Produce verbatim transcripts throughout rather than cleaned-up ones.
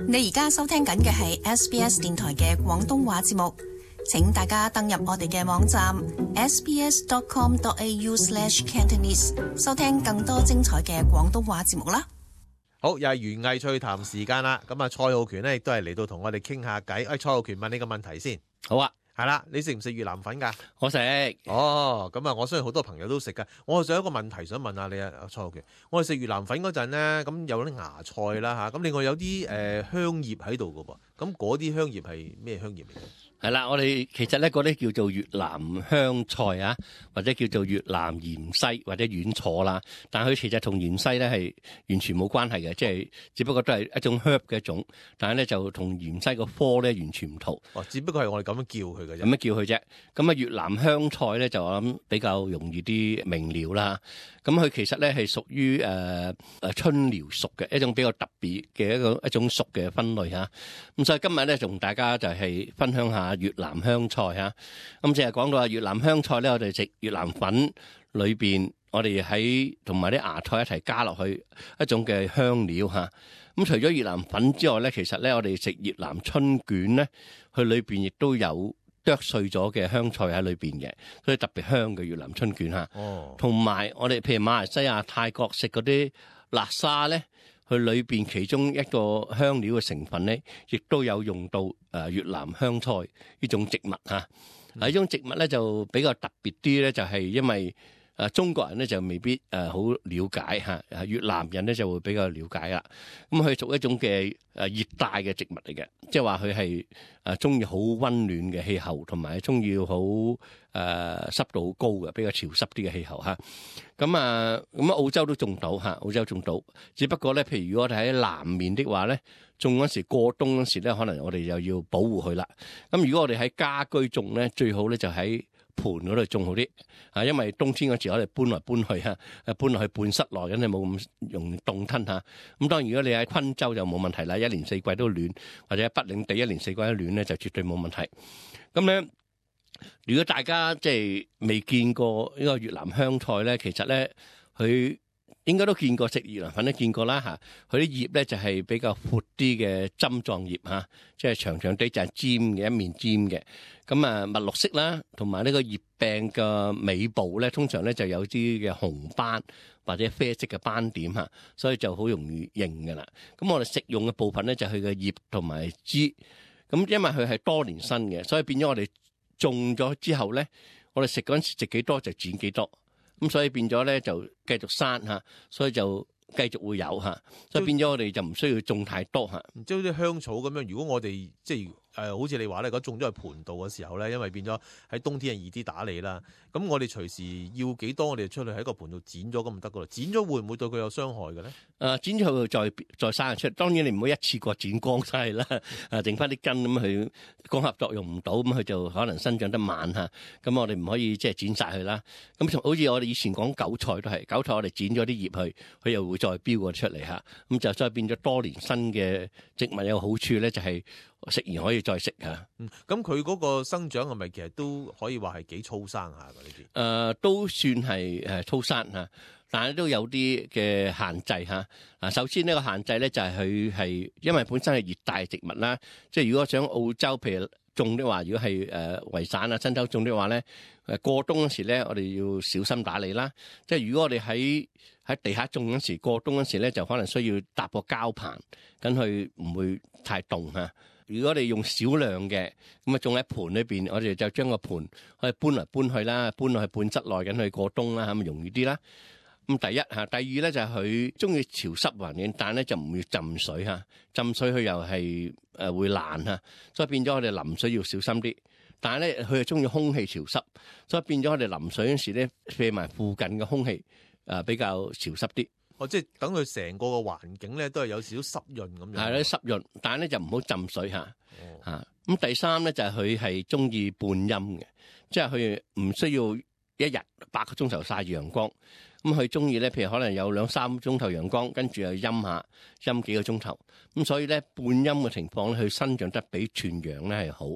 你而家收聽緊嘅係 S B S 電台嘅廣東話節目，請大家登入我哋嘅網站 s b s dot com dot a u slash cantonese 收聽更多精彩嘅廣東話節目啦。好，又係園藝趣談時間啦。咁啊，蔡浩權咧亦都係嚟到同我哋傾下偈。誒，蔡浩權問你個問題先。好啊，係啦，你食唔食越南粉㗎？我食。哦，咁啊，我相信好多朋友都食㗎。我仲有一個問題想問下你啊，蔡浩權。我哋食越南粉嗰陣咧，咁有啲芽菜啦嚇，咁另外有啲誒、呃、香葉喺度㗎噃。咁嗰啲香葉係咩香葉嚟嘅？係啦，我哋其實咧嗰啲叫做越南香菜啊，或者叫做越南芫茜或者軟楚啦，但係佢其實同芫茜咧係完全冇關係嘅，即係只不過都係一種 herb 嘅一種，但係咧就同芫茜個科咧完全唔同。哦，只不過係我哋咁樣叫佢嘅啫。咁樣叫佢啫。咁啊，越南香菜咧就我諗比較容易啲明瞭啦。咁佢其實咧係屬於誒誒春寮屬嘅一種比較特別嘅一個一種屬嘅分類嚇。咁所以今日咧同大家就係分享下越南香菜嚇。咁淨係講到話越南香菜咧，我哋食越南粉裏邊，我哋喺同埋啲芽菜一齊加落去一種嘅香料嚇。咁除咗越南粉之外咧，其實咧我哋食越南春卷咧，佢裏邊亦都有剁碎咗嘅香菜喺裏邊嘅，所以特別香嘅越南春卷嚇。哦，同埋我哋譬如馬來西亞、泰國食嗰啲辣沙咧，佢裏邊其中一個香料嘅成分咧，亦都有用到誒越南香菜呢種植物嚇。啊，呢種植物咧就比較特別啲咧，就係因為誒中國人咧就未必誒好了解嚇，越南人咧就會比較了解啦。咁佢屬一種嘅誒熱帶嘅植物嚟嘅，即係話佢係誒中意好溫暖嘅氣候，同埋中意好誒濕度好高嘅，比較潮濕啲嘅氣候嚇。咁啊咁啊澳洲都種到嚇，澳洲種到，只不過咧，譬如如果我哋喺南面的話咧，種嗰時過冬嗰時咧，可能我哋又要保護佢啦。咁如果我哋喺家居種咧，最好咧就喺盤嗰度種好啲，啊，因為冬天嗰時我哋搬來搬去嚇，誒搬落去半室內，咁你冇咁容易凍吞嚇。咁當然如果你喺昆州就冇問題啦，一年四季都暖，或者喺北領地一年四季都暖咧，就絕對冇問題。咁咧，如果大家即係未見過呢個越南香菜咧，其實咧佢應該都見過，食越南粉都見過啦嚇。佢啲葉咧就係比較闊啲嘅針狀葉嚇，即係長長啲就係尖嘅一面尖嘅。咁啊，墨綠色啦，同埋呢個葉柄嘅尾部咧，通常咧就有啲嘅紅斑或者啡色嘅斑點嚇，所以就好容易認㗎啦。咁我哋食用嘅部分咧就係佢嘅葉同埋枝。咁因為佢係多年生嘅，所以變咗我哋種咗之後咧，我哋食嗰陣時食幾多就剪幾多。咁所以變咗咧就繼續生嚇，所以就繼續會有嚇，所以變咗我哋就唔需要種太多嚇。即係好似香草咁樣，如果我哋即係誒、呃，好似你話咧，如果種咗喺盤度嘅時候咧，因為變咗喺冬天係易啲打理啦。咁我哋隨時要幾多，我哋出去喺個盤度剪咗咁就得噶啦。剪咗會唔會對佢有傷害嘅咧？誒、呃，剪咗佢再再生出，當然你唔好一次過剪光晒啦，啊，剩翻啲根咁佢光合作用唔到，咁佢就可能生長得慢嚇。咁我哋唔可以即係剪晒佢啦。咁好似我哋以前講韭菜都係，韭菜我哋剪咗啲葉去，佢又會再飆過出嚟嚇。咁就再變咗多年生嘅植物有個好處咧，就係食完可以再食嚇。嗯，咁佢嗰個生長係咪其實都可以話係幾粗生下㗎呢啲？誒、呃，都算係誒粗生嚇，但係都有啲嘅限制嚇。嗱，首先呢個限制咧就係佢係因為本身係熱帶植物啦，即係如果想澳洲譬如種的話，如果係誒維省啊、新州種的話咧，誒過冬嗰時咧，我哋要小心打理啦。即係如果我哋喺喺地下種嗰時，過冬嗰時咧，就可能需要搭個膠棚，咁佢唔會太凍嚇。如果你用少量嘅咁啊，種喺盤裏邊，我哋就將個盤可以搬嚟搬去啦，搬落去半室內緊去過冬啦，咁咪容易啲啦。咁第一嚇，第二咧就係佢中意潮濕環境，但係咧就唔要浸水嚇，浸水佢又係誒會爛嚇，所以變咗我哋淋水要小心啲。但係咧佢係中意空氣潮濕，所以變咗我哋淋水嗰時咧，借埋附近嘅空氣誒比較潮濕啲。哦，即係等佢成個嘅環境咧都係有少少濕潤咁樣。係咧濕潤，但係咧就唔好浸水嚇。哦。嚇，咁第三咧就係佢係中意半陰嘅，即係佢唔需要一日八個鐘頭曬陽光。咁佢中意咧，譬如可能有兩三個鐘頭陽光，跟住又陰下陰幾個鐘頭。咁所以咧半陰嘅情況咧，佢生長得比全陽咧係好。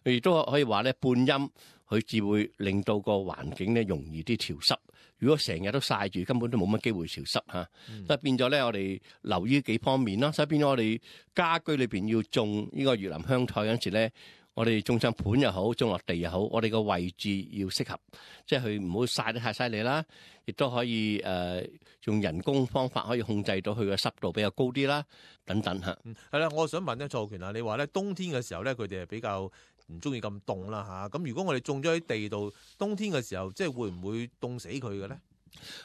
亦都可以話咧半陰，佢佢至會令到個環境咧容易啲潮濕。如果成日都曬住，根本都冇乜機會潮濕嚇。嗯、所以變咗咧，我哋留意幾方面啦。所以變咗我哋家居裏邊要種呢個越南香菜嗰陣時咧，我哋種上盤又好，種落地又好，我哋個位置要適合，即係佢唔好曬得太犀利啦，亦都可以誒、呃、用人工方法可以控制到佢嘅濕度比較高啲啦，等等嚇。嗯，係啦，我想問咧，蔡浩權啊，你話咧冬天嘅時候咧，佢哋係比較唔中意咁凍啦嚇。咁如果我哋種咗喺地度，冬天嘅時候，即係會唔會凍死佢嘅咧？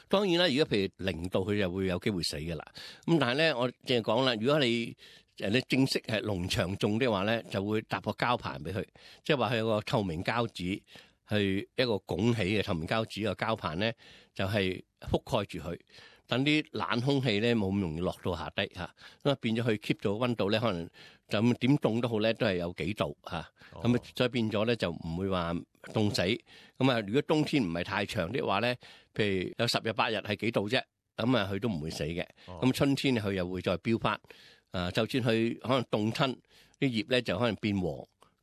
當然啦，如果譬如零度，佢就會有機會死嘅啦。咁但係咧，我淨係講啦，如果你誒你正式係農場種的話咧，就會搭個膠棚俾佢，即係話佢有個透明膠紙，係一個拱起嘅透明膠紙個膠棚咧，就係覆蓋住佢，等啲冷空氣咧冇咁容易落到下低嚇，咁啊變咗佢 keep 咗溫度咧，可能就咁點凍都好咧，都係有幾度嚇，咁啊再變咗咧就唔會話凍死。咁啊，如果冬天唔係太長的話咧，譬如有十日八日係幾度啫，咁啊佢都唔會死嘅。咁春天佢又會再飆翻。啊，就算佢可能凍親啲葉咧，就可能變黃，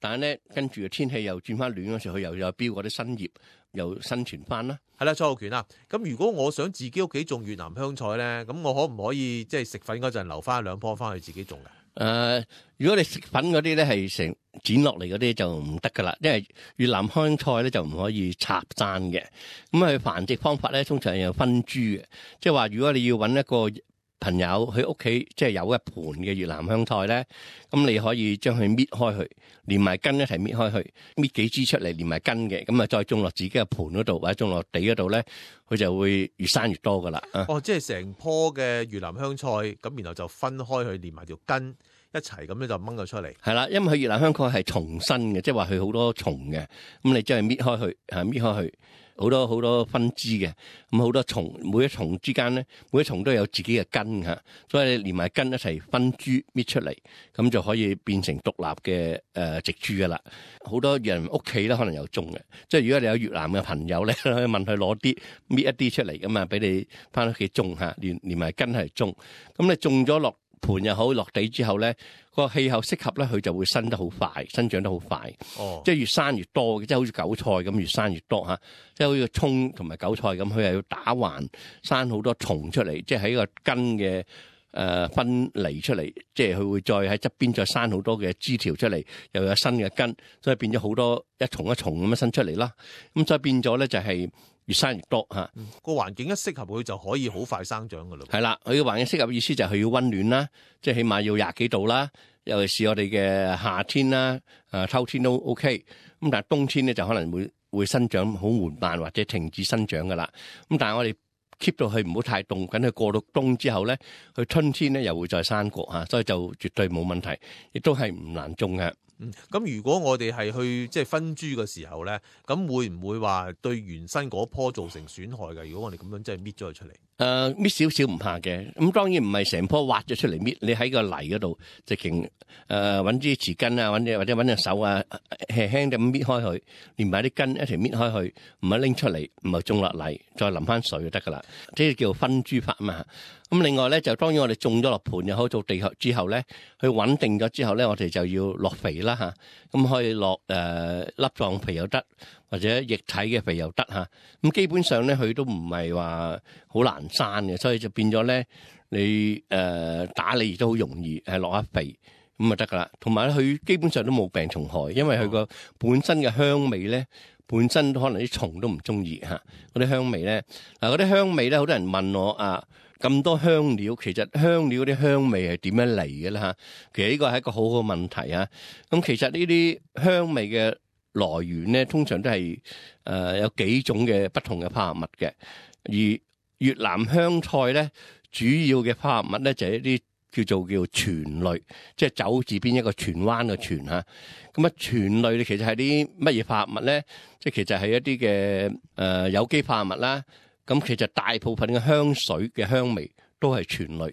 但係咧跟住個天氣又轉翻暖嗰時，佢又又飆嗰啲新葉，又生存翻啦。係啦，蔡浩權啊，咁如果我想自己屋企種越南香菜咧，咁我可唔可以即係食粉嗰陣留翻兩棵翻去自己種嘅？誒、呃，如果你食粉嗰啲咧係成剪落嚟嗰啲就唔得噶啦，因為越南香菜咧就唔可以插簪嘅。咁佢繁殖方法咧通常係有分株嘅，即係話如果你要揾一個朋友喺屋企即係有一盤嘅越南香菜咧，咁你可以將佢搣開去，連埋根一齊搣開去，搣幾支出嚟連埋根嘅，咁啊再種落自己嘅盤嗰度或者種落地嗰度咧，佢就會越生越多噶啦。哦，即係成棵嘅越南香菜，咁然後就分開去連埋條根一齊咁樣就掹咗出嚟。係啦，因為佢越南香菜係蟲身嘅，即係話佢好多蟲嘅，咁你將佢搣開去，嚇搣開去。好多好多分支嘅，咁好多蟲，每一蟲之間咧，每一蟲都有自己嘅根嚇，所以你連埋根一齊分株搣出嚟，咁就可以變成獨立嘅誒植株噶啦。好多人屋企咧可能有種嘅，即係如果你有越南嘅朋友咧，可以問佢攞啲搣一啲出嚟，咁啊俾你翻屋企種嚇，連連埋根係種，咁你種咗落盤又好，落地之後咧，個氣候適合咧，佢就會生得好快，生長得好快。哦，即係越生越多嘅，即係好似韭菜咁，越生越多嚇。即係好似葱同埋韭菜咁，佢係要打橫生好多蟲出嚟，即係喺個根嘅誒、呃、分離出嚟，即係佢會再喺側邊再生好多嘅枝條出嚟，又有新嘅根，所以變咗好多一重一重咁樣生出嚟啦。咁所以變咗咧就係、是。越生越多嚇，個環境一適合佢就可以好快生長噶啦。係啦，佢嘅環境適合意思就係佢要溫暖啦，即係起碼要廿幾度啦。尤其是我哋嘅夏天啦，誒秋天都 OK。咁但係冬天咧就可能會會生長好緩慢或者停止生長噶啦。咁但係我哋 keep 到佢唔好太凍，等佢過到冬之後咧，佢春天咧又會再生過嚇，所以就絕對冇問題，亦都係唔難種嘅。嗯，咁如果我哋係去即係分株嘅時候咧，咁會唔會話對原生嗰棵造成損害嘅？如果我哋咁樣真係搣咗佢出嚟，誒搣少少唔怕嘅。咁當然唔係成棵挖咗出嚟搣，你喺個泥嗰度直情誒揾啲匙羹啊，揾隻或者揾隻手啊，輕輕咁搣開佢，連埋啲根一齊搣開佢，唔係拎出嚟，唔係種落泥，再淋翻水就得噶啦。即係叫分株法啊嘛。咁另外咧就當然我哋種咗落盤又好，做地之後咧，佢穩定咗之後咧，我哋就要落肥啦嚇。咁可以落誒、呃、粒狀肥又得，或者液體嘅肥又得嚇。咁基本上咧，佢都唔係話好難生嘅，所以就變咗咧，你誒、呃、打理亦都好容易，係落下肥咁就得噶啦。同埋咧，佢基本上都冇病蟲害，因為佢個本身嘅香味咧，本身都可能啲蟲都唔中意嚇嗰啲香味咧。嗱，嗰啲香味咧，好多人問我啊。咁多香料，其實香料啲香味係點樣嚟嘅咧嚇？其實呢個係一個好好問題啊！咁其實呢啲香味嘅來源咧，通常都係誒、呃、有幾種嘅不同嘅化合物嘅。而越南香菜咧，主要嘅化合物咧就係、是、一啲叫做叫醛類，即係走字邊一個荃灣嘅荃嚇。咁啊，醛類咧其實係啲乜嘢化合物咧？即係其實係一啲嘅誒有機化合物啦。咁其實大部分嘅香水嘅香味都係醛類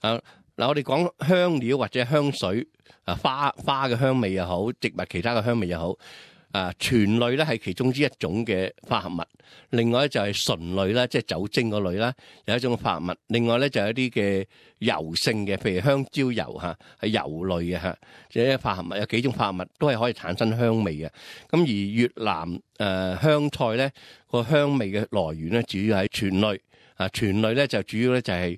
啊！嗱，我哋講香料或者香水啊，花花嘅香味又好，植物其他嘅香味又好，啊，醛類咧係其中之一種嘅化合物，另外咧就係醇類啦，即係酒精嗰類啦，有一種化合物。另外咧就有一啲嘅油性嘅，譬如香蕉油嚇，係油類嘅嚇，即係化合物有幾種化合物都係可以產生香味嘅。咁而越南誒、呃、香菜咧個香味嘅來源咧，主要係醛類啊，醛類咧就主要咧就係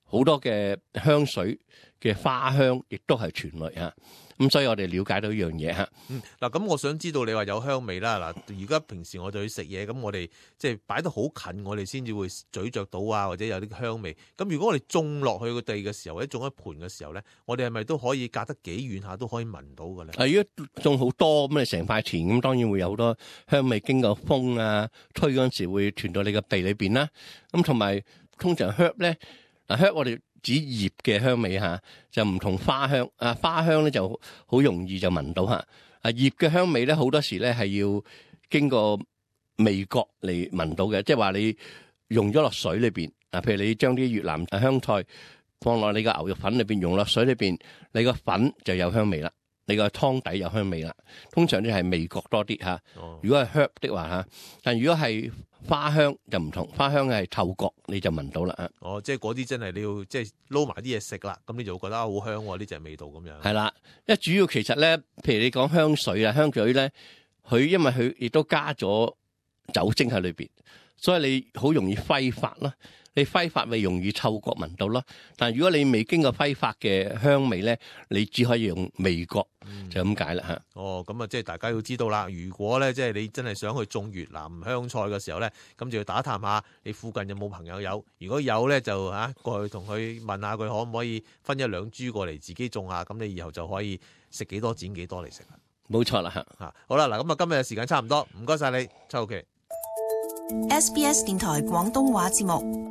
好多嘅香水嘅花香，亦都係醛類嚇。咁所以我哋了解到一樣嘢嚇。嗯，嗱，咁我想知道你話有香味啦。嗱，而家平時我哋去食嘢，咁我哋即係擺得好近，我哋先至會咀嚼到啊，或者有啲香味。咁如果我哋種落去個地嘅時候，或者種一盆嘅時候咧，我哋係咪都可以隔得幾遠下都可以聞到嘅咧？係，如果種好多咁，你成塊田咁，當然會有好多香味經過風啊吹嗰陣時會傳到你個鼻裏邊啦。咁同埋通常 herb 咧，嗱 herb 我哋指葉嘅香味嚇，就唔同花香啊。花香咧就好容易就聞到嚇，啊葉嘅香味咧好多時咧係要經過味覺嚟聞到嘅，即係話你用咗落水裏邊啊，譬如你將啲越南香菜放落你個牛肉粉裏邊，用落水裏邊，你個粉就有香味啦，你個湯底有香味啦。通常咧係味覺多啲嚇。如果係 herb 的話嚇，但如果係花香就唔同，花香係嗅覺你就聞到啦。哦，即係嗰啲真係你要即係撈埋啲嘢食啦，咁你就會覺得好香喎，呢隻味道咁樣。係啦，因為主要其實咧，譬如你講香水啊，香水咧，佢因為佢亦都加咗酒精喺裏邊，所以你好容易揮發啦。你揮發咪容易嗅覺聞到咯。但係如果你未經過揮發嘅香味咧，你只可以用味覺，嗯、就咁解啦嚇。哦，咁啊，即係大家要知道啦。如果咧，即係你真係想去種越南香菜嘅時候咧，咁就要打探下你附近有冇朋友有。如果有咧，就嚇過去同佢問下佢可唔可以分一兩株過嚟自己種下，咁你以後就可以食幾多剪幾多嚟食啦。冇錯啦嚇。嚇，好啦，嗱，咁啊，今日嘅時間差唔多，唔該晒你，周浩騏。S B S 電台廣東話節目。